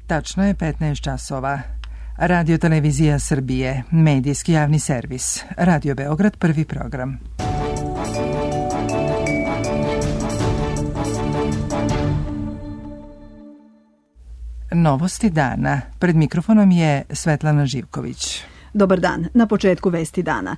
Tačno je 15 časova. Radio Televizija Srbije, medijski javni servis. Radio Beograd, prvi program. Novosti dana. Pred mikrofonom je Svetlana Živković. Dobar dan. Na početku vesti dana.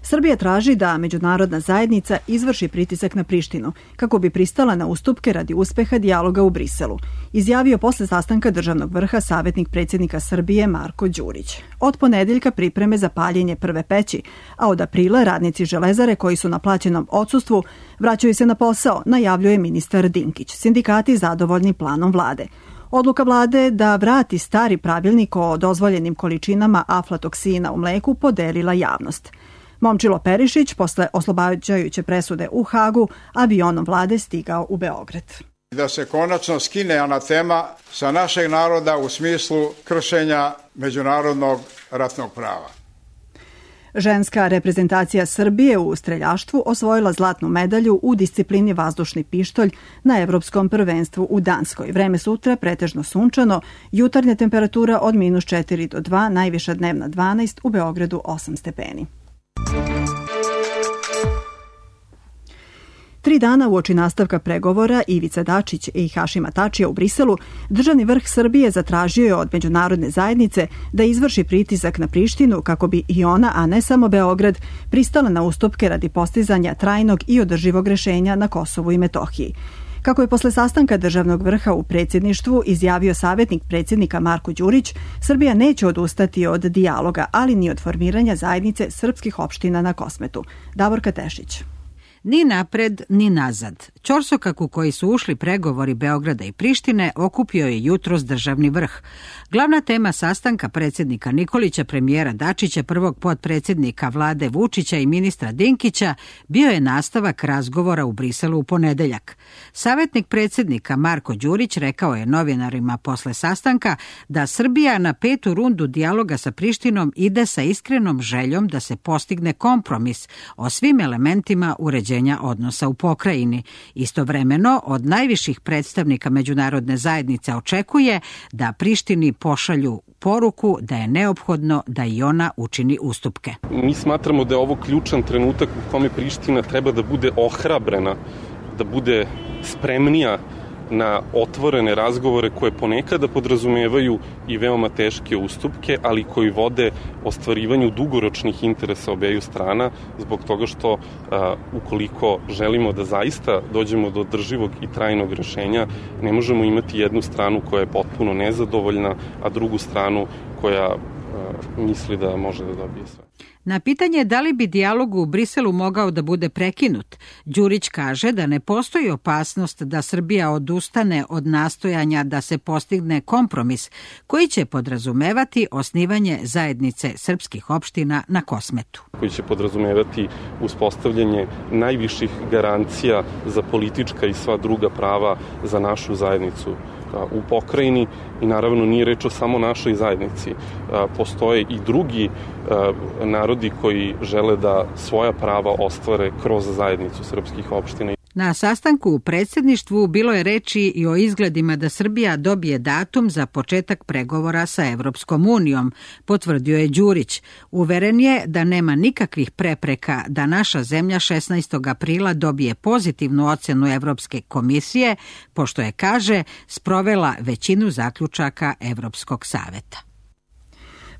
Srbija traži da međunarodna zajednica izvrši pritisak na Prištinu kako bi pristala na ustupke radi uspeha dijaloga u Briselu, izjavio posle sastanka državnog vrha savetnik predsjednika Srbije Marko Đurić. Od ponedeljka pripreme za paljenje prve peći, a od aprila radnici Železare koji su na plaćenom odsustvu vraćaju se na posao, najavljuje ministar Dinkić. Sindikati zadovoljni planom vlade. Odluka vlade da vrati stari pravilnik o dozvoljenim količinama aflatoksina u mleku podelila javnost. Momčilo Perišić posle oslobađajuće presude u Hagu avionom vlade stigao u Beograd. Da se konačno skine anatema sa našeg naroda u smislu kršenja međunarodnog ratnog prava. Ženska reprezentacija Srbije u streljaštvu osvojila zlatnu medalju u disciplini vazdušni pištolj na Evropskom prvenstvu u Danskoj. Vreme sutra pretežno sunčano, jutarnja temperatura od -4 do 2, najviša dnevna 12, u Beogradu 8 stepeni. 3 dana uoči nastavka pregovora Ivice Dačić i Hašima Tačija u Briselu, državni vrh Srbije zatražio je od međunarodne zajednice da izvrši pritisak na Prištinu kako bi i ona, a ne samo Beograd, pristala na ustupke radi postizanja trajnog i održivog rešenja na Kosovu i Metohiji. Kako je posle sastanka državnog vrha u predsjedništvu izjavio savetnik predsjednika Marko Đurić, Srbija neće odustati od dijaloga, ali ni od formiranja zajednice srpskih opština na Kosmetu. Davorka Tešić. Ni napred, ni nazad. Ćorsokak u koji su ušli pregovori Beograda i Prištine okupio je jutros državni vrh. Glavna tema sastanka predsjednika Nikolića, premijera Dačića, prvog potpredsjednika vlade Vučića i ministra Dinkića bio je nastavak razgovora u Briselu u ponedeljak. Savetnik predsjednika Marko Đurić rekao je novinarima posle sastanka da Srbija na 5. rundu dijaloga sa Prištinom ide sa iskrenom željom da se postigne kompromis o svim elementima uređenja odnosa u pokrajini. Istovremeno, od najviših predstavnika međunarodne zajednice očekuje da Prištini pošalju poruku da je neophodno da i ona učini ustupke. Mi smatramo da je ovo ključan trenutak u kome Priština treba da bude ohrabrena, da bude spremnija na otvorene razgovore koje ponekada podrazumevaju i veoma teške ustupke, ali koji vode ostvarivanju dugoročnih interesa obeju strana, zbog toga što ukoliko želimo da zaista dođemo do održivog i trajnog rešenja, ne možemo imati jednu stranu koja je potpuno nezadovoljna, a drugu stranu koja misli da može da dobije sve. Na pitanje da li bi dijalog u Briselu mogao da bude prekinut, Đurić kaže da ne postoji opasnost da Srbija odustane od nastojanja da se postigne kompromis koji će podrazumevati osnivanje zajednice srpskih opština na Kosmetu. Koji će podrazumevati uspostavljanje najviših garancija za politička i sva druga prava za našu zajednicu u pokrajini i naravno nije reč o samo našoj zajednici. Postoje i drugi narodi koji žele da svoja prava ostvare kroz zajednicu srpskih opština. Na sastanku u predsjedništvu bilo je reči i o izgledima da Srbija dobije datum za početak pregovora sa Evropskom unijom, potvrdio je Đurić. Uveren je da nema nikakvih prepreka da naša zemlja 16. aprila dobije pozitivnu ocenu Evropske komisije, pošto je, kaže, sprovela većinu zaključaka Evropskog saveta.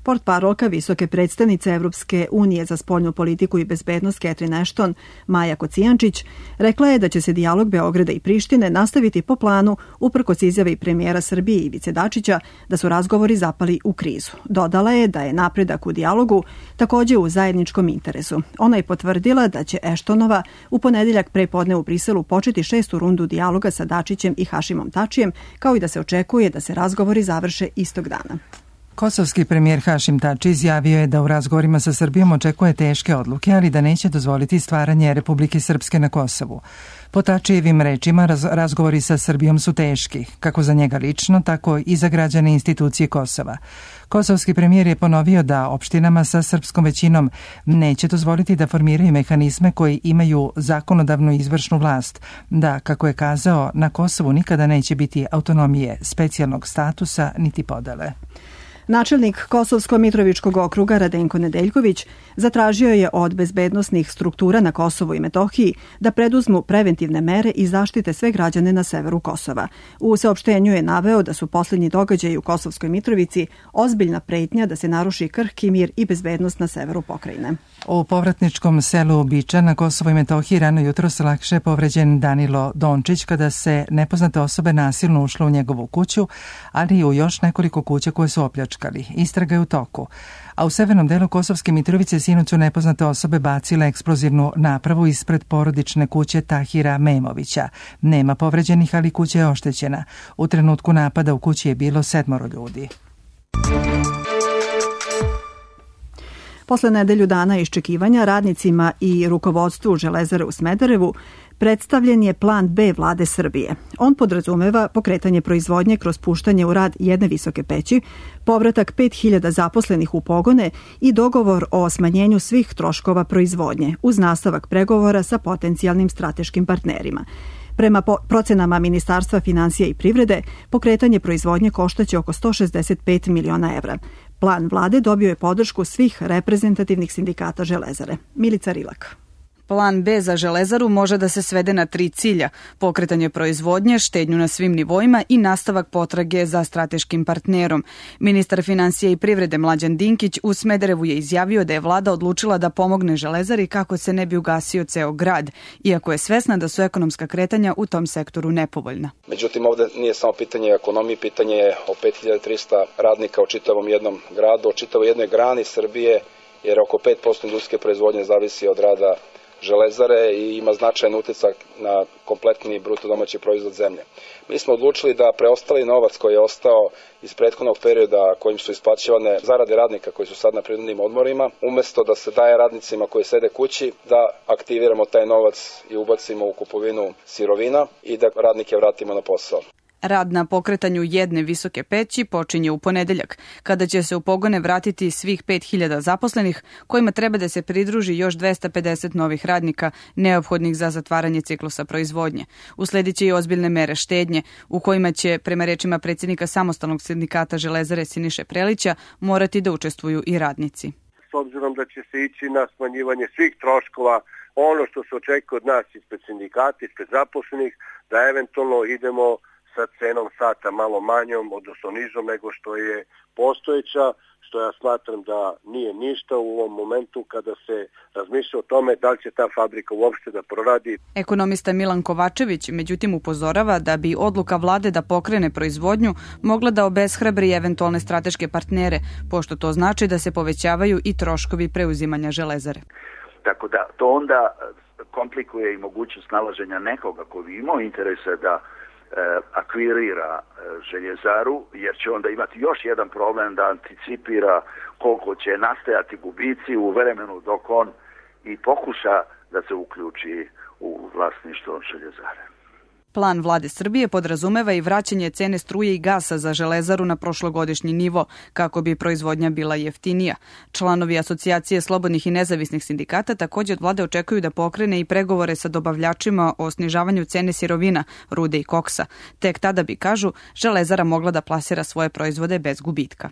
Portparolka visoke predstavnice Evropske unije za spoljnu politiku i bezbednost Catherine Ashton, Maja Kocijančić, rekla je da će se dijalog Beograda i Prištine nastaviti po planu uprkos izjave premijera Srbije Ivice Dačića da su razgovori zapali u krizu. Dodala je da je napredak u dijalogu također u zajedničkom interesu. Ona je potvrdila da će Ashtonova u ponedeljak prepodne u Briselu početi 6. rundu dijaloga sa Dačićem i Hašimom Tačijem, kao i da se očekuje da se razgovori završe istog dana. Kosovski premijer Hašim Tači izjavio je da u razgovorima sa Srbijom očekuje teške odluke, ali da neće dozvoliti stvaranje Republike Srpske na Kosovu. Po Tačijevim rečima, razgovori sa Srbijom su teški, kako za njega lično, tako i za građane institucije Kosova. Kosovski premijer je ponovio da opštinama sa srpskom većinom neće dozvoliti da formiraju mehanizme koji imaju zakonodavnu i izvršnu vlast, da, kako je kazao, na Kosovu nikada neće biti autonomije, specijalnog statusa niti podele. Načelnik Kosovsko-Mitrovičkog okruga Radenko Nedeljković zatražio je od bezbednosnih struktura na Kosovu i Metohiji da preduzmu preventivne mere i zaštite sve građane na severu Kosova. U saopštenju je naveo da su posljednji događaji u Kosovskoj Mitrovici ozbiljna pretnja da se naruši krhki mir i bezbednost na severu pokrajine. U povratničkom selu Biča na Kosovo i Metohiji rano jutro se lakše povređen Danilo Dončić kada se nepoznate osobe nasilno ušle u njegovu kuću, ali i u još nekoliko kuća koje su opljačkali. Istraga je u toku. A u severnom delu Kosovske Mitrovice sinoć su nepoznate osobe bacile eksplozivnu napravu ispred porodične kuće Tahira Memovića. Nema povređenih, ali kuća je oštećena. U trenutku napada u kući je bilo 7 ljudi. Posle nedelju dana iščekivanja radnicima i rukovodstvu Železare u Smederevu predstavljen je plan B vlade Srbije. On podrazumeva pokretanje proizvodnje kroz puštanje u rad jedne visoke peći, povratak 5000 zaposlenih u pogone i dogovor o smanjenju svih troškova proizvodnje, uz nastavak pregovora sa potencijalnim strateškim partnerima. Prema procenama Ministarstva finansija i privrede, pokretanje proizvodnje koštaće oko 165 miliona evra. Plan vlade dobio je podršku svih reprezentativnih sindikata Železare. Milica Rilak. Plan B za Železaru može da se svede na 3 cilja: pokretanje proizvodnje, štednju na svim nivoima i nastavak potrage za strateškim partnerom. Ministar finansija i privrede Mlađan Dinkić u Smederevu je izjavio da je vlada odlučila da pomogne Železari kako se ne bi ugasio ceo grad, iako je svesna da su ekonomska kretanja u tom sektoru nepovoljna. Međutim, ovde nije samo pitanje ekonomije, pitanje je o 5300 radnika u čitavom jednom gradu, o čitavoj jednoj grani Srbije, jer oko 5% industrijske proizvodnje zavisi od rada Železare i ima značajan uticak na kompletni bruto domaći proizvod zemlje. Mi smo odlučili da preostali novac koji je ostao iz prethodnog perioda kojim su isplaćivane zarade radnika koji su sad na prinudnim odmorima, umesto da se daje radnicima koji sede kući, da aktiviramo taj novac i ubacimo u kupovinu sirovina i da radnike vratimo na posao. Rad na pokretanju jedne visoke peći počinje u ponedeljak, kada će se u pogone vratiti svih 5000 zaposlenih, kojima treba da se pridruži još 250 novih radnika neophodnih za zatvaranje ciklusa proizvodnje. Usledit će i ozbiljne mere štednje, u kojima će, prema rečima predsjednika samostalnog sindikata Železare Siniše Prelića, morati da učestvuju i radnici. S obzirom da će se ići na smanjivanje svih troškova, ono što se očekuje od nas ispred sindikata, ispred zaposlenih, da eventualno idemo sa cenom sata malo manjom, odnosno nižom nego što je postojeća, što ja smatram da nije ništa u ovom momentu kada se razmišlja o tome da li će ta fabrika uopšte da proradi. Ekonomista Milan Kovačević međutim upozorava da bi odluka vlade da pokrene proizvodnju mogla da obeshrabri eventualne strateške partnere, pošto to znači da se povećavaju i troškovi preuzimanja Železare. Tako da to onda komplikuje i mogućnost nalaženja nekoga ko bi imao interese da akvirira Željezaru, jer će onda imati još jedan problem da anticipira koliko će nastajati gubici u vremenu dok on i pokuša da se uključi u vlasništvo Željezare. Plan vlade Srbije podrazumeva i vraćanje cene struje i gasa za Železaru na prošlogodišnji nivo, kako bi proizvodnja bila jeftinija. Članovi Asocijacije slobodnih i nezavisnih sindikata također od vlade očekuju da pokrene i pregovore sa dobavljačima o snižavanju cene sirovina, rude i koksa. Tek tada bi, kažu, Železara mogla da plasira svoje proizvode bez gubitka.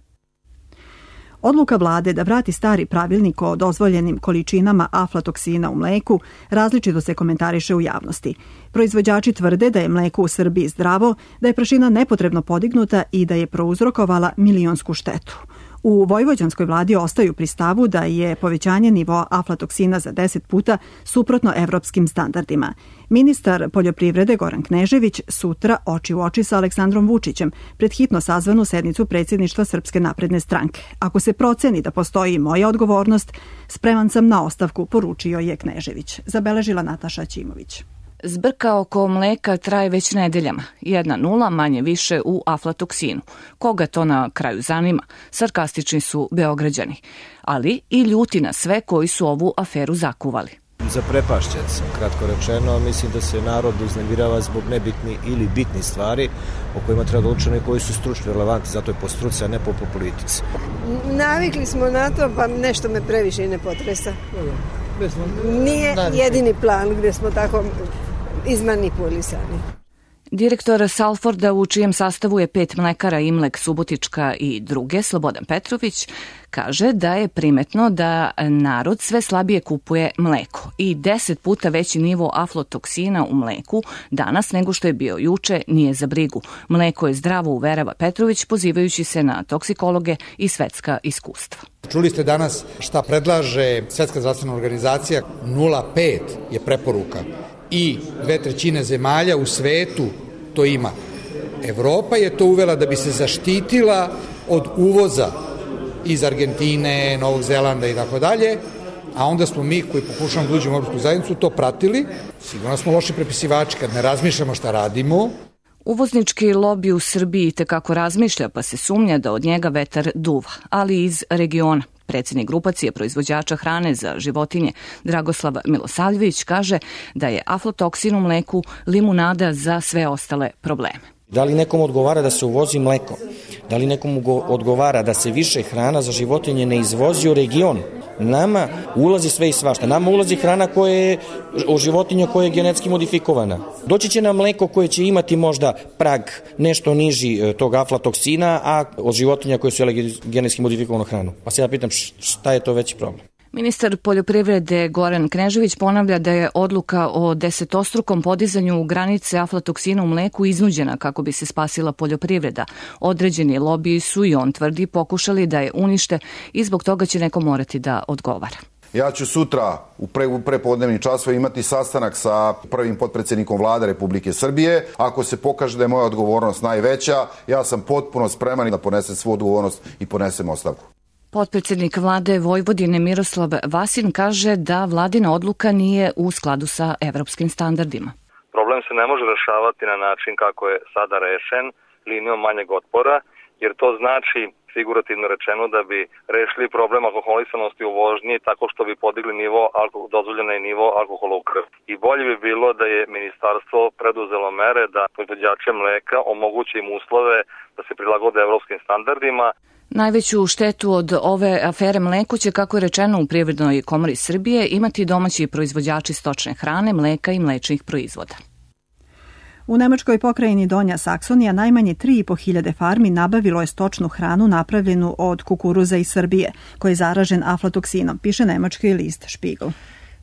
Odluka vlade da vrati stari pravilnik o dozvoljenim količinama aflatoksina u mleku različito se komentariše u javnosti. Proizvođači tvrde da je mleko u Srbiji zdravo, da je prašina nepotrebno podignuta i da je prouzrokovala milionsku štetu. U vojvođanskoj vladi ostaju pri stavu da je povećanje nivoa aflatoksina za 10 puta suprotno evropskim standardima. Ministar poljoprivrede Goran Knežević sutra oči u oči sa Aleksandrom Vučićem pred hitno sazvanu sednicu predsjedništva Srpske napredne stranke. Ako se proceni da postoji moja odgovornost, spreman sam na ostavku, poručio je Knežević. Zabeležila Nataša Ćimović. Zbrka oko mleka traje već nedeljama. 1-0 manje više u aflatoksinu. Koga to na kraju zanima? Sarkastični su Beograđani, ali i ljuti na sve koji su ovu aferu zakuvali. Zaprepašćen sam, kratko rečeno. Mislim da se narod uznemirava zbog nebitni ili bitni stvari o kojima treba da odlučuju koji su stručno relevantni, zato je po struci, a ne po politici. Navikli smo na to, pa nešto me previše ne potresa. Nije jedini plan gde smo tako izmanipulisani. Direktor Salforda, u čijem sastavu je 5 mlekara, Imlek, Subotička i druge, Slobodan Petrović, kaže da je primetno da narod sve slabije kupuje mleko i 10 puta veći nivo aflatoksina u mleku danas nego što je bio juče nije za brigu. Mleko je zdravo, uverava Petrović, pozivajući se na toksikologe i svetska iskustva. Čuli ste danas šta predlaže Svetska zdravstvena organizacija, 0,5 je preporuka. I 2/3 zemalja u svetu to ima. Evropa je to uvela da bi se zaštitila od uvoza iz Argentine, Novog Zelanda i tako dalje, a onda smo mi koji pokušamo da uđemo u Evropsku zajednicu to pratili. Sigurno smo loši prepisivači kad ne razmišljamo šta radimo. Uvoznički lobi u Srbiji tekako razmišlja, pa se sumnja da od njega vetar duva, ali iz regiona. Predsjednik grupacije proizvođača hrane za životinje Dragoslav Milosavljević kaže da je aflatoksin u mleku limunada za sve ostale probleme. Da li nekom odgovara da se uvozi mleko? Da li nekom odgovara da se više hrana za životinje ne izvozi u region? Nama ulazi sve i svašta. Nama ulazi hrana koja je o životinja koja je genetski modifikovana. Doći će nam mleko koje će imati možda prag nešto niži tog aflatoksina, a od životinja koje su jele genetski modifikovanu hranu. Pa se ja pitam šta je to veći problem? Ministar poljoprivrede Goran Knežević ponavlja da je odluka o 10-strukom podizanju granice aflatoksina u mleku iznuđena kako bi se spasila poljoprivreda. Određeni lobiji su, i on tvrdi, pokušali da je unište i zbog toga će neko morati da odgovara. Ja ću sutra u prepodnevnim časovima imati sastanak sa prvim potpredsjednikom Vlade Republike Srbije. Ako se pokaže da je moja odgovornost najveća, ja sam potpuno spreman da ponesem svu odgovornost i ponesem ostavku. Potpredsjednik vlade Vojvodine Miroslav Vasin kaže da vladina odluka nije u skladu sa evropskim standardima. Problem se ne može rešavati na način kako je sada rešen, linijom manjeg otpora, jer to znači, figurativno rečeno, da bi rešili problem alkoholisanosti u vožnji tako što bi podigli dozvoljeni nivo alkohola u krvi. I bolje bi bilo da je ministarstvo preduzelo mere da proizvođače mleka omogući im uslove da se prilagode evropskim standardima. Najveću štetu od ove afere mleku će, kako je rečeno u Privrednoj komori Srbije, imati domaći proizvođači stočne hrane, mleka i mlečnih proizvoda. U nemačkoj pokrajini Donja Saksonija najmanje 3.500 farmi nabavilo je stočnu hranu napravljenu od kukuruza iz Srbije, koji je zaražen aflatoksinom, piše nemački list Spiegel.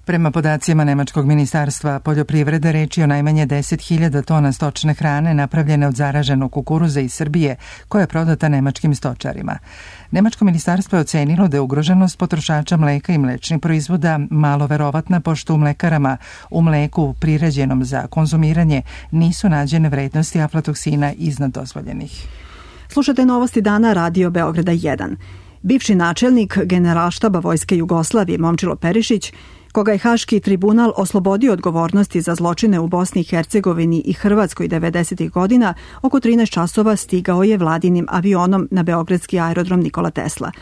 Prema podacima Nemačkog ministarstva poljoprivrede, reč je o najmanje 10.000 tona stočne hrane napravljene od zaraženog kukuruza iz Srbije, koja je prodata nemačkim stočarima. Nemačko ministarstvo je ocenilo da je ugroženost potrošača mleka i mlečnih proizvoda malo verovatna, pošto u mlekarama u mleku priređenom za konzumiranje nisu nađene vrednosti aflatoksina iznad dozvoljenih. Slušate novosti dana Radio Beograda 1. Bivši načelnik Generalštaba Vojske Jugoslavije Momčilo Perišić, koga je Haški tribunal oslobodio odgovornosti za zločine u Bosni i Hercegovini i Hrvatskoj 90. godina, oko 13 časova stigao je vladinim avionom na beogradski aerodrom Nikola Tesla.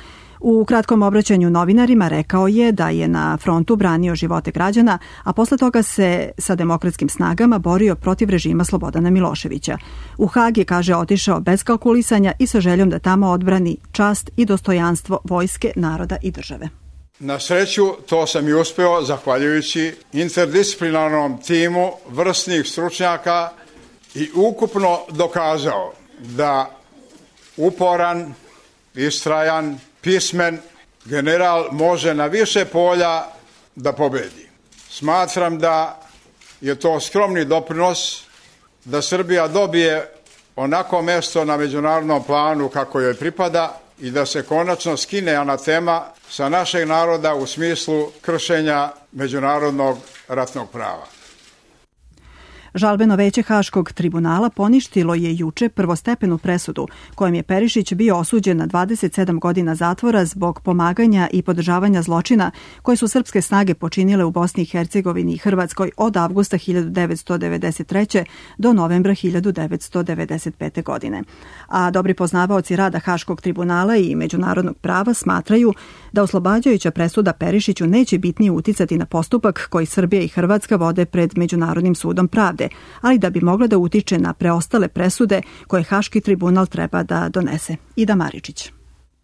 U kratkom obraćanju novinarima rekao je da je na frontu branio živote građana, a posle toga se sa demokratskim snagama borio protiv režima Slobodana Miloševića. U Hag je, kaže, otišao bez kalkulisanja i sa željom da tamo odbrani čast i dostojanstvo vojske, naroda i države. Na sreću, to sam i uspeo zahvaljujući interdisciplinarnom timu vrsnih stručnjaka i ukupno dokazao da uporan, istrajan, pismen general može na više polja da pobedi. Smatram da je to skromni doprinos da Srbija dobije onako mesto na međunarodnom planu kako joj pripada i da se konačno skine anatema sa našeg naroda u smislu kršenja međunarodnog ratnog prava. Žalbeno veće Haškog tribunala poništilo je juče prvostepenu presudu kojom je Perišić bio osuđen na 27 godina zatvora zbog pomaganja i podržavanja zločina koje su srpske snage počinile u Bosni i Hercegovini i Hrvatskoj od avgusta 1993. do novembra 1995. godine. A dobri poznavaoci rada Haškog tribunala i međunarodnog prava smatraju da oslobađajuća presuda Perišiću neće bitnije uticati na postupak koji Srbija i Hrvatska vode pred Međunarodnim sudom pravde, ali da bi mogla da utiče na preostale presude koje Haški tribunal treba da donese. Ida Maričić.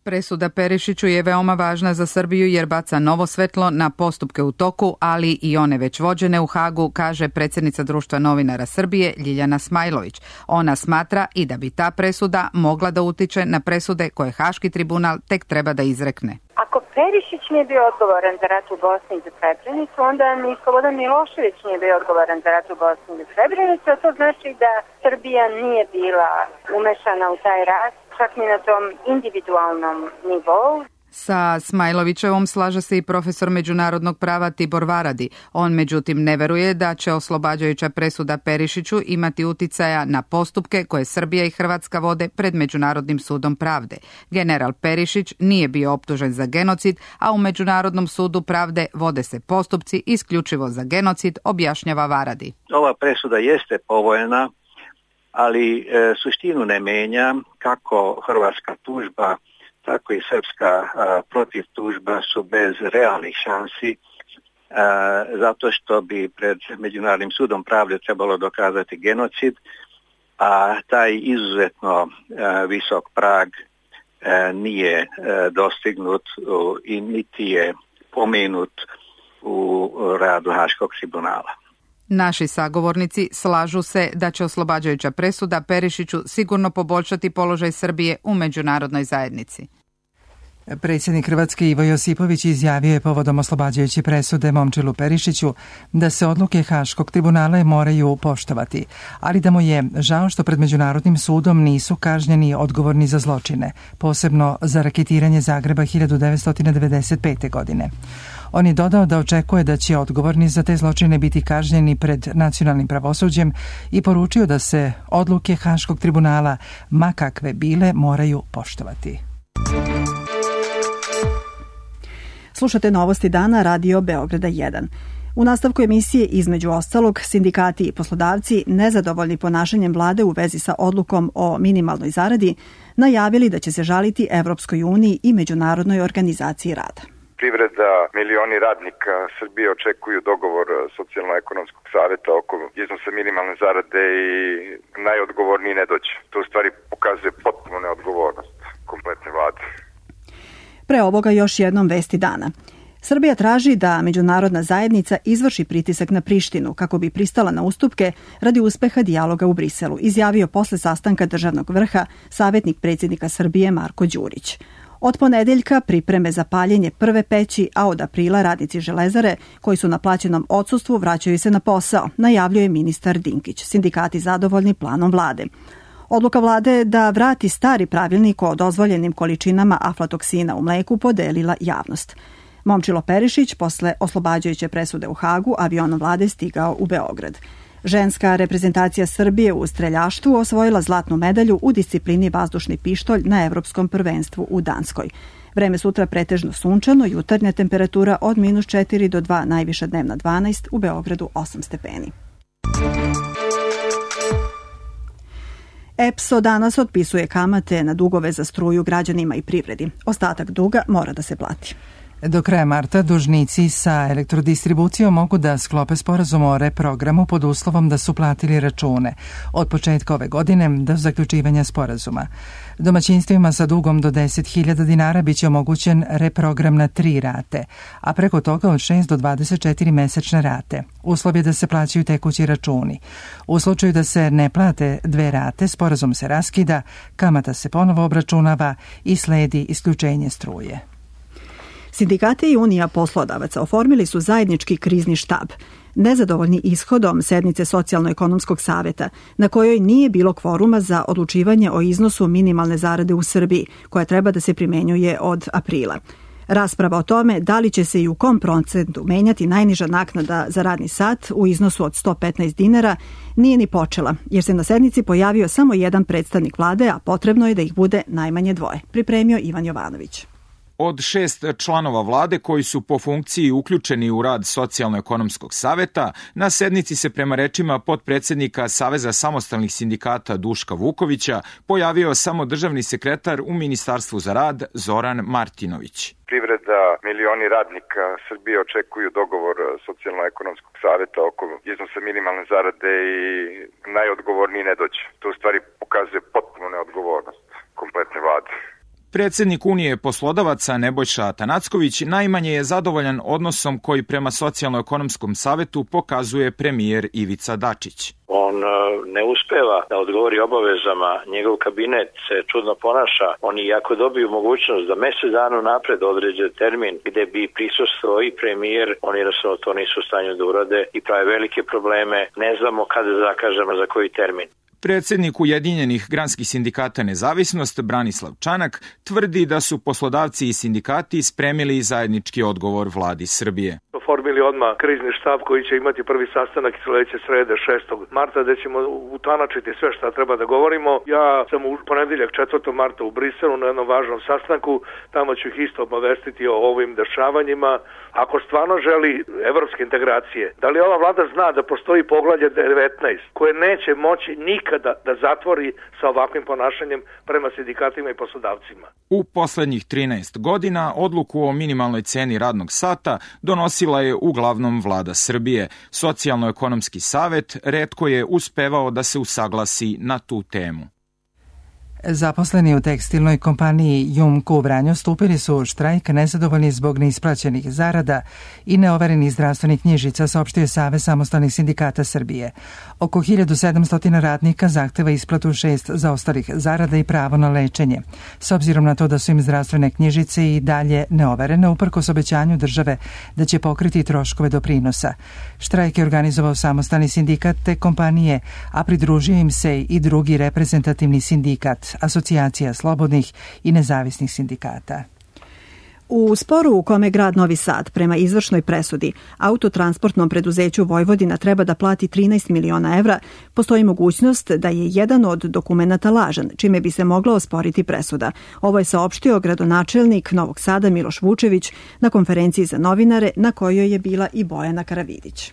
Presuda Perišiću je veoma važna za Srbiju jer baca novo svetlo na postupke u toku, ali i one već vođene u Hagu, kaže predsjednica Društva novinara Srbije Ljiljana Smajlović. Ona smatra i da bi ta presuda mogla da utiče na presude koje Haški tribunal tek treba da izrekne. Ako Perišić nije bio odgovoran za rat u Bosni i za Srebrenicu, onda ni Slobodan Milošević nije bio odgovoran za rat u Bosni i za Srebrenicu, a to znači da Srbija nije bila umešana u taj rat, čak ni na tom individualnom nivou. Sa Smajlovićevom slaže se i profesor međunarodnog prava Tibor Varadi. On međutim ne veruje da će oslobađajuća presuda Perišiću imati uticaja na postupke koje Srbija i Hrvatska vode pred Međunarodnim sudom pravde. General Perišić nije bio optužen za genocid, a u Međunarodnom sudu pravde vode se postupci isključivo za genocid, objašnjava Varadi. Ova presuda jeste povoljna, ali suštinu ne menja. Kako hrvatska tužba, tako i srpska protiv tužba su bez realnih šansi, zato što bi pred Međunarodnim sudom pravde trebalo dokazati genocid, a taj izuzetno visok prag nije dostignut i niti je pomenut u radu Haškog tribunala. Naši sagovornici slažu se da će oslobađajuća presuda Perišiću sigurno poboljšati položaj Srbije u međunarodnoj zajednici. Predsjednik Hrvatske Ivo Josipović izjavio je povodom oslobađajuće presude Momčilu Perišiću da se odluke Haškog tribunala moraju poštovati, ali da mu je žao što pred Međunarodnim sudom nisu kažnjeni odgovorni za zločine, posebno za raketiranje Zagreba 1995. godine. On je dodao da očekuje da će odgovorni za te zločine biti kažnjeni pred nacionalnim pravosuđem i poručio da se odluke Haškog tribunala, ma kakve bile, moraju poštovati. Slušate Novosti dana, Radio Beograda 1. U nastavku emisije, između ostalog, sindikati i poslodavci, nezadovoljni ponašanjem vlade u vezi sa odlukom o minimalnoj zaradi, najavili da će se žaliti Evropskoj uniji i Međunarodnoj organizaciji rada. Privreda, milioni radnika Srbije očekuju dogovor Socijalno-ekonomskog saveta oko iznosa minimalne zarade i najodgovorniji ne dođe. To u stvari pokazuje potpuno neodgovornost kompletne vlade. Pre ovoga još jednom vesti dana. Srbija traži da međunarodna zajednica izvrši pritisak na Prištinu kako bi pristala na ustupke radi uspeha dijaloga u Briselu, izjavio posle sastanka državnog vrha savjetnik predsjednika Srbije Marko Đurić. Od ponedeljka pripreme za paljenje prve peći, a od aprila radnici Železare koji su na plaćenom odsustvu vraćaju se na posao, najavljuje ministar Dinkić. Sindikati zadovoljni planom vlade. Odluka vlade da vrati stari pravilnik o dozvoljenim količinama aflatoksina u mleku podelila javnost. Momčilo Perišić posle oslobađajuće presude u Hagu avionom vlade stigao u Beograd. Ženska reprezentacija Srbije u streljaštvu osvojila zlatnu medalju u disciplini vazdušni pištolj na Evropskom prvenstvu u Danskoj. Vreme sutra pretežno sunčano, jutarnja temperatura od -4 do 2, najviša dnevna 12, u Beogradu 8 stepeni. EPSO danas otpisuje kamate na dugove za struju građanima i privredi. Ostatak duga mora da se plati. Do kraja marta dužnici sa elektrodistribucijom mogu da sklope sporazum o reprogramu pod uslovom da su platili račune od početka ove godine do zaključivanja sporazuma. Domaćinstvima sa dugom do 10.000 dinara biće omogućen reprogram na 3 rate, a preko toga od 6 do 24 mesečne rate. Uslov je da se plaćaju tekući računi. U slučaju da se ne plate 2 rate, sporazum se raskida, kamata se ponovo obračunava i sledi isključenje struje. Sindikate i Unija poslodavaca oformili su zajednički krizni štab, nezadovoljni ishodom sednice Socijalno-ekonomskog saveta, na kojoj nije bilo kvoruma za odlučivanje o iznosu minimalne zarade u Srbiji, koja treba da se primenjuje od aprila. Rasprava o tome da li će se i u kom procentu menjati najniža naknada za radni sat u iznosu od 115 dinara nije ni počela, jer se na sednici pojavio samo jedan predstavnik vlade, a potrebno je da ih bude najmanje 2. Pripremio Ivan Jovanović. Od 6 članova vlade koji su po funkciji uključeni u rad Socijalno-ekonomskog saveta, na sednici se prema rečima potpredsednika Saveza samostalnih sindikata Duška Vukovića pojavio samo državni sekretar u Ministarstvu za rad Zoran Martinović. Privreda, milioni radnika Srbije očekuju dogovor Socijalno-ekonomskog saveta oko iznosa minimalne zarade i najodgovorniji ne dođe. To u stvari pokazuje potpuno neodgovornost kompletne vlade. Predsednik Unije poslodavaca Nebojša Atanacković najmanje je zadovoljan odnosom koji prema Socijalno-ekonomskom savetu pokazuje premijer Ivica Dačić. On ne uspeva da odgovori obavezama, njegov kabinet se čudno ponaša. Oni jako dobiju mogućnost da mesec dana napred određe termin gde bi prisustvovao i premijer, oni jednostavno to nisu u stanju da urade i prave velike probleme. Ne znamo kada zakažemo za koji termin. Predsednik Ujedinjenih granskih sindikata Nezavisnost Branislav Čanak tvrdi da su poslodavci i sindikati spremili zajednički odgovor vladi Srbije. Formili odmah krizni štab koji će imati prvi sastanak sledeće srede 6. marta gde ćemo utanačiti sve šta treba da govorimo. Ja sam u ponedeljak 4. marta u Briselu na jednom važnom sastanku, tamo ću ih isto obavestiti o ovim dešavanjima. Ako stvarno želi evropske integracije, da li ova vlada zna da postoji poglavlje 19 koje neće moći nikada da zatvori sa ovakvim ponašanjem prema sindikatima i poslodavcima? U poslednjih 13 godina odluku o minimalnoj ceni radnog sata donosila je uglavnom vlada Srbije. Socijalno-ekonomski savet retko je uspevao da se usaglasi na tu temu. Zaposleni u tekstilnoj kompaniji Jumko u Vranju stupili su u štrajk nezadovoljni zbog neisplaćenih zarada i neoverenih zdravstvenih knjižica, saopštio je Savez samostalnih sindikata Srbije. Oko 1700 radnika zahteva isplatu 6 zaostalih zarada i pravo na lečenje. S obzirom na to da su im zdravstvene knjižice i dalje neoverene, uprkos obećanju države da će pokriti troškove doprinosa. Štrajk je organizovao samostalni sindikat te kompanije, a pridružio im se i drugi reprezentativni sindikat, Asocijacija slobodnih i nezavisnih sindikata. U sporu u kome grad Novi Sad prema izvršnoj presudi autotransportnom preduzeću Vojvodina treba da plati 13 miliona evra, postoji mogućnost da je jedan od dokumenata lažan, čime bi se mogla osporiti presuda. Ovo je saopštio gradonačelnik Novog Sada Miloš Vučević na konferenciji za novinare na kojoj je bila i Bojana Karavidić.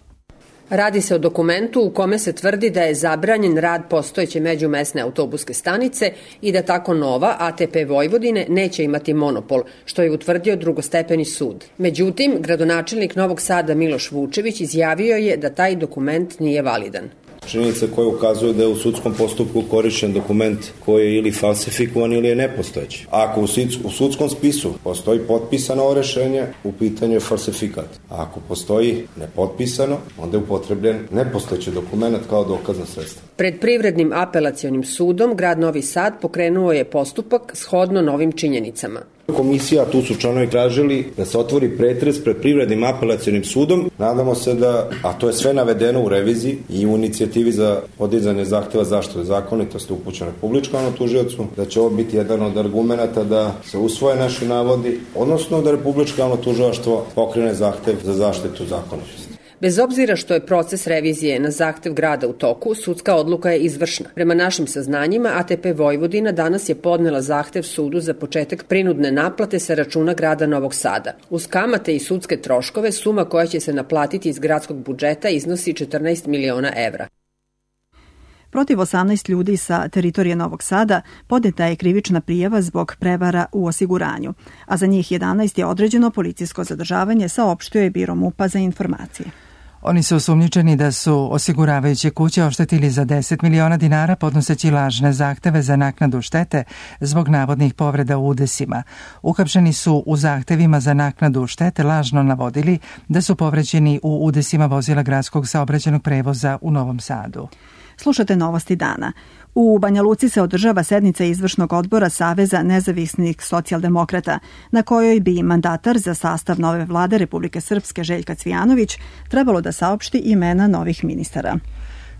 Radi se o dokumentu u kome se tvrdi da je zabranjen rad postojeće međumesne autobuske stanice i da tako nova ATP Vojvodine neće imati monopol, što je utvrdio drugostepeni sud. Međutim, gradonačelnik Novog Sada Miloš Vučević izjavio je da taj dokument nije validan. Činjenica koja ukazuje da je u sudskom postupku korišćen dokument koji je ili falsifikovan ili je nepostojeći. Ako u sudskom spisu postoji potpisano ovo rešenje, u pitanju je falsifikat. A ako postoji nepotpisano, onda je upotrebljen nepostojeći dokument kao dokazno sredstvo. Pred Privrednim apelacionim sudom grad Novi Sad pokrenuo je postupak shodno novim činjenicama. Komisija, tu su članovi tražili da se otvori pretres pred Privrednim apelacionim sudom. Nadamo se da, a to je sve navedeno u reviziji i u inicijativi za podizanje zahteva zaštite zakonitosti upućene Republičkom tužiocu, da će ovo biti jedan od argumenata da se usvoje naši navodi, odnosno da Republičko javno tužilaštvo pokrene zahtev za zaštitu zakonitosti. Bez obzira što je proces revizije na zahtev grada u toku, sudska odluka je izvršna. Prema našim saznanjima, ATP Vojvodina danas je podnela zahtev sudu za početak prinudne naplate sa računa grada Novog Sada. Uz kamate i sudske troškove, suma koja će se naplatiti iz gradskog budžeta iznosi 14 miliona evra. Protiv 18 ljudi sa teritorije Novog Sada podneta je krivična prijava zbog prevara u osiguranju, a za njih 11 je određeno policijsko zadržavanje, saopštio je Biro MUP-a za informacije. Oni su osumnjičeni da su osiguravajuće kuće oštetili za 10 miliona dinara podnoseći lažne zahteve za naknadu štete zbog navodnih povreda u udesima. Uhapšeni su u zahtevima za naknadu štete lažno navodili da su povređeni u udesima vozila gradskog saobraćajnog prevoza u Novom Sadu. Slušate Novosti dana. U Banja Luci se održava sednica izvršnog odbora Saveza nezavisnih socijaldemokrata, na kojoj bi mandatar za sastav nove vlade Republike Srpske Željka Cvijanović trebalo da saopšti imena novih ministara.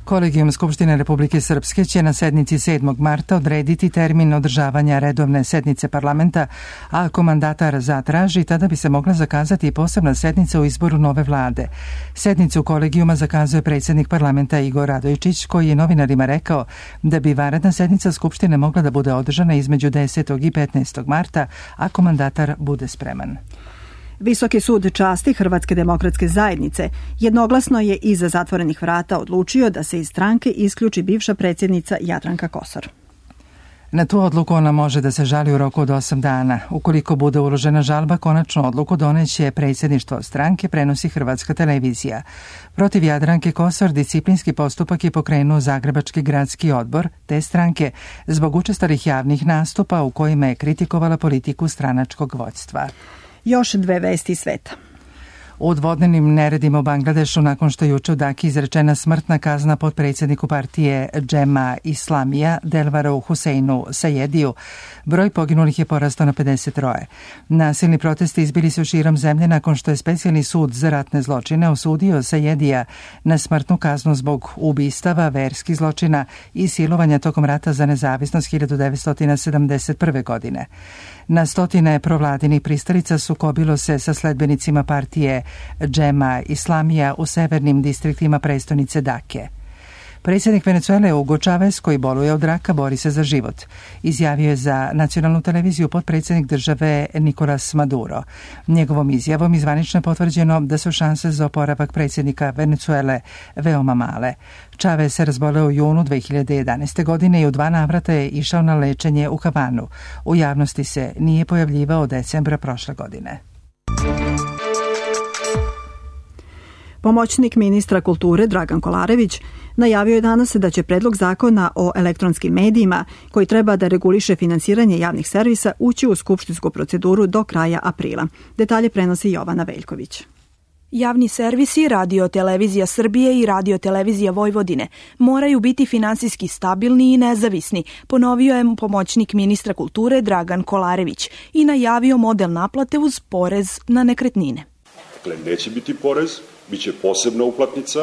Kolegijum Skupštine Republike Srpske će na sednici 7. marta odrediti termin održavanja redovne sednice parlamenta, a ako mandatar zatraži, tada bi se mogla zakazati i posebna sednica u izboru nove vlade. Sednicu kolegijuma zakazuje predsjednik parlamenta Igor Radojičić, koji je novinarima rekao da bi vanredna sednica Skupštine mogla da bude održana između 10. i 15. marta, ako mandatar bude spreman. Visoki sud časti Hrvatske demokratske zajednice jednoglasno je iza zatvorenih vrata odlučio da se iz stranke isključi bivša predsjednica Jadranka Kosor. Na tu odluku ona može da se žali u roku od 8 dana. Ukoliko bude uložena žalba, konačnu odluku doneće predsjedništvo stranke, prenosi Hrvatska televizija. Protiv Jadranke Kosor disciplinski postupak je pokrenuo Zagrebački gradski odbor te stranke zbog učestalih javnih nastupa u kojima je kritikovala politiku stranačkog vođstva. Još dve vesti sveta. U dvodnevnim neredima u Bangladešu, nakon što je juče u Daki izrečena smrtna kazna potpredsjedniku partije Džema Islamija Delvaru Huseinu Sajediju, broj poginulih je porastao na 53. Nasilni protesti izbili su širom zemlje nakon što je specijalni sud za ratne zločine osudio Sajedija na smrtnu kaznu zbog ubistava, verskih zločina i silovanja tokom rata za nezavisnost 1971. godine. Na stotine provladinih pristalica sukobilo se sa sledbenicima partije Džema Islamija u severnim distriktima prestonice Dake. Predsjednik Venezuele Hugo Chavez, koji boluje od raka, bori se za život. Izjavio je za nacionalnu televiziju potpredsjednik države Nicolas Maduro. Njegovom izjavom izvanično je potvrđeno da su šanse za oporavak predsjednika Venezuele veoma male. Chavez se razboleo u junu 2011. godine i u 2 navrata je išao na lečenje u Havanu. U javnosti se nije pojavljivao od decembra prošle godine. Pomoćnik ministra kulture Dragan Kolarević najavio je danas da će predlog zakona o elektronskim medijima, koji treba da reguliše finansiranje javnih servisa, ući u skupštinsku proceduru do kraja aprila. Detalje prenosi Jovana Veljković. Javni servisi, Radio televizija Srbije i Radio televizija Vojvodine moraju biti finansijski stabilni i nezavisni, ponovio je pomoćnik ministra kulture Dragan Kolarević i najavio model naplate uz porez na nekretnine. Dakle, neće biti porez, bit će posebna uplatnica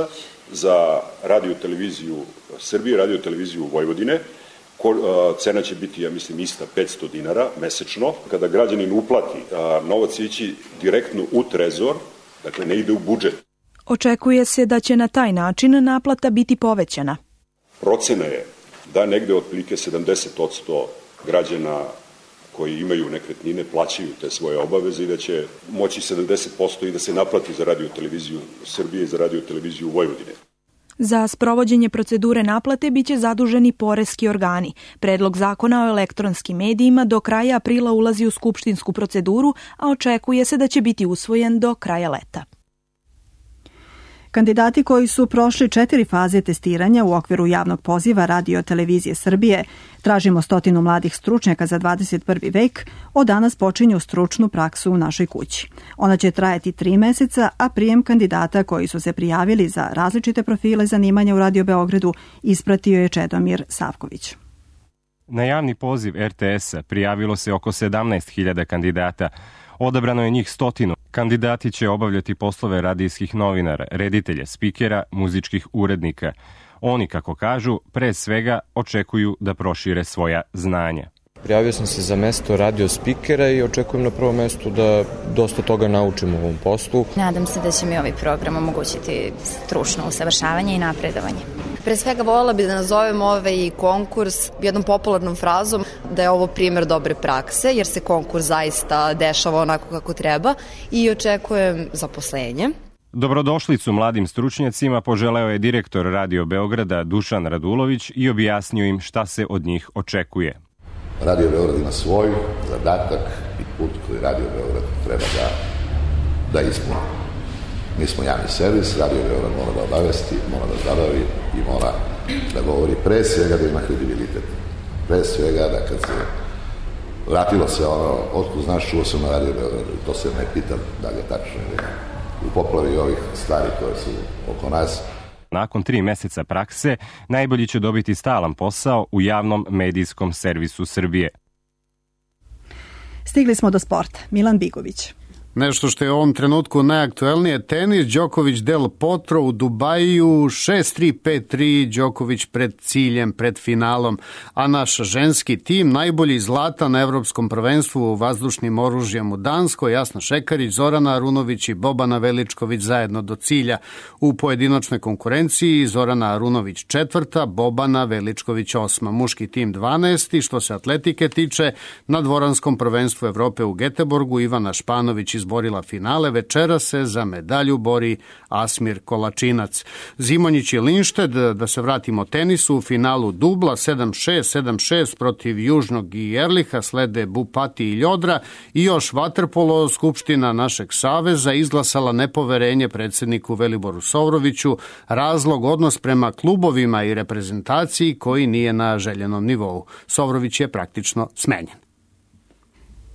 za Radio televiziju Srbije i Radio televiziju Vojvodine. Cena će biti, ja mislim, ista 500 dinara mesečno. Kada građanin uplati, novac će ići direktno u trezor, dakle ne ide u budžet. Očekuje se da će na taj način naplata biti povećana. Procena je da negde otprilike 70% građana koji imaju nekretnine plaćaju te svoje obaveze i da će moći 70% i da se naplati za Radio televiziju Srbije i za Radio televiziju Vojvodine. Za sprovođenje procedure naplate biće zaduženi poreski organi. Predlog zakona o elektronskim medijima do kraja aprila ulazi u skupštinsku proceduru, a očekuje se da će biti usvojen do kraja leta. Kandidati koji su prošli 4 faze testiranja u okviru javnog poziva Radio televizije Srbije Tražimo 100 mladih stručnjaka za 21. vek, od danas počinju stručnu praksu u našoj kući. Ona će trajati 3 meseca, a prijem kandidata koji su se prijavili za različite profile zanimanja u Radio Beogradu ispratio je Čedomir Savković. Na javni poziv RTS-a prijavilo se oko 17.000 kandidata. Odabrano je njih 100. Kandidati će obavljati poslove radijskih novinara, reditelja, spikera, muzičkih urednika. Oni, kako kažu, pre svega očekuju da prošire svoja znanja. Prijavio sam se za mesto radio spikera i očekujem na prvom mestu da dosta toga naučim u ovom poslu. Nadam se da će mi ovaj program omogućiti stručno usavršavanje i napredovanje. Pre svega voljela bih da nazovem ovaj konkurs jednom popularnom frazom da je ovo primjer dobre prakse, jer se konkurs zaista dešava onako kako treba i očekujem zaposlenje. Dobrodošlicu mladim stručnjacima poželeo je direktor Radio Beograda Dušan Radulović i objasnio im šta se od njih očekuje. Radio Beograd ima svoj zadatak i put koji Radio Beograd treba da ispuni. Mi smo javni servis, Radio Beograd mora da obavesti, mora da zabavi i mora da govori pre svega da ima kredibilitet. Pre svega da kad se vratilo se ono, otkud znaš, čuo sam na Radio Beogradu i to se ne pitam da li je tačno ili ne. U poplavi ovih stvari koje su oko nas. Nakon 3 meseca prakse, najbolji će dobiti stalan posao u javnom medijskom servisu Srbije. Stigli smo do sporta. Milan Bigović. Nešto što je u ovom trenutku najaktuelnije, tenis, Đoković Del Potro u Dubaju, 6-3, 5-3, Đoković pred ciljem, pred finalom, a naš ženski tim najbolji zlata na Evropskom prvenstvu u vazdušnim oružjem u Danskoj, Jasna Šekarić, Zorana Arunović i Bobana Veličković zajedno do cilja. U pojedinačnoj konkurenciji Zorana Arunović 4., Bobana Veličković 8., muški tim 12. Što se atletike tiče, na dvoranskom prvenstvu Evrope u Geteborgu Ivana Španović izborila finale, večera se za medalju bori Asmir Kolačinac. Zimonjić i Linšted, da se vratimo tenisu, u finalu dubla 7-6, 7-6 protiv Južnog i Erliha, slede Bupati i Ljodra i još vaterpolo. Skupština našeg saveza izglasala nepoverenje predsjedniku Veliboru Sovroviću, razlog odnos prema klubovima i reprezentaciji koji nije na željenom nivou. Sovrović je praktično smenjen.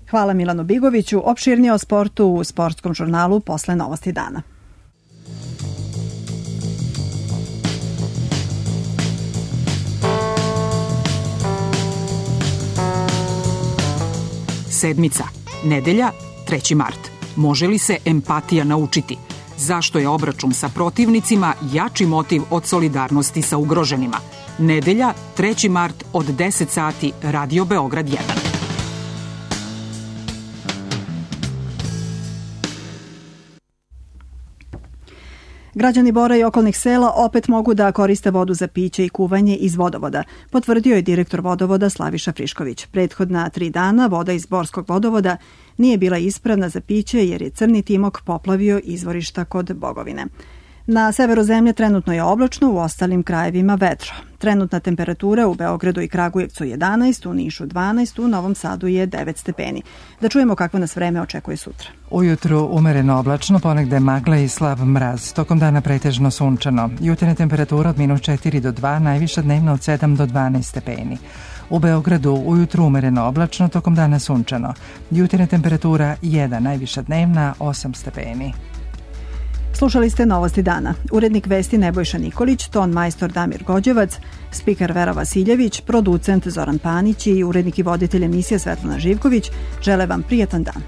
Hvala Milanu Bigoviću. Opširnije o sportu u Sportskom žurnalu posle Novosti dana. Sedmica. Nedelja, 3. mart. Može li se empatija naučiti? Zašto je obračun sa protivnicima jači motiv od solidarnosti sa ugroženima? Nedelja, 3. mart od 10 sati, Radio Beograd 1. Građani Bora i okolnih sela opet mogu da koriste vodu za piće i kuvanje iz vodovoda, potvrdio je direktor vodovoda Slaviša Frišković. Prethodna 3 dana voda iz Borskog vodovoda nije bila ispravna za piće jer je Crni Timok poplavio izvorišta kod Bogovine. Na severu zemlje trenutno je oblačno, u ostalim krajevima vedro. Trenutna temperatura u Beogradu i Kragujevcu 11, u Nišu 12, u Novom Sadu je 9 stepeni. Da čujemo kakvo nas vreme očekuje sutra. Ujutru umereno oblačno, ponegde magla i slab mraz. Tokom dana pretežno sunčano. Jutarnja temperatura od -4 do 2, najviša dnevna od 7 do 12 stepeni. U Beogradu ujutru umereno oblačno, tokom dana sunčano. Jutarnja temperatura 1, najviša dnevna 8 stepeni. Slušali ste Novosti dana. Urednik vesti Nebojša Nikolić, ton majstor Damir Gođevac, spiker Vera Vasiljević, producent Zoran Panić i urednik i voditelj emisije Svetlana Živković žele vam prijatan dan.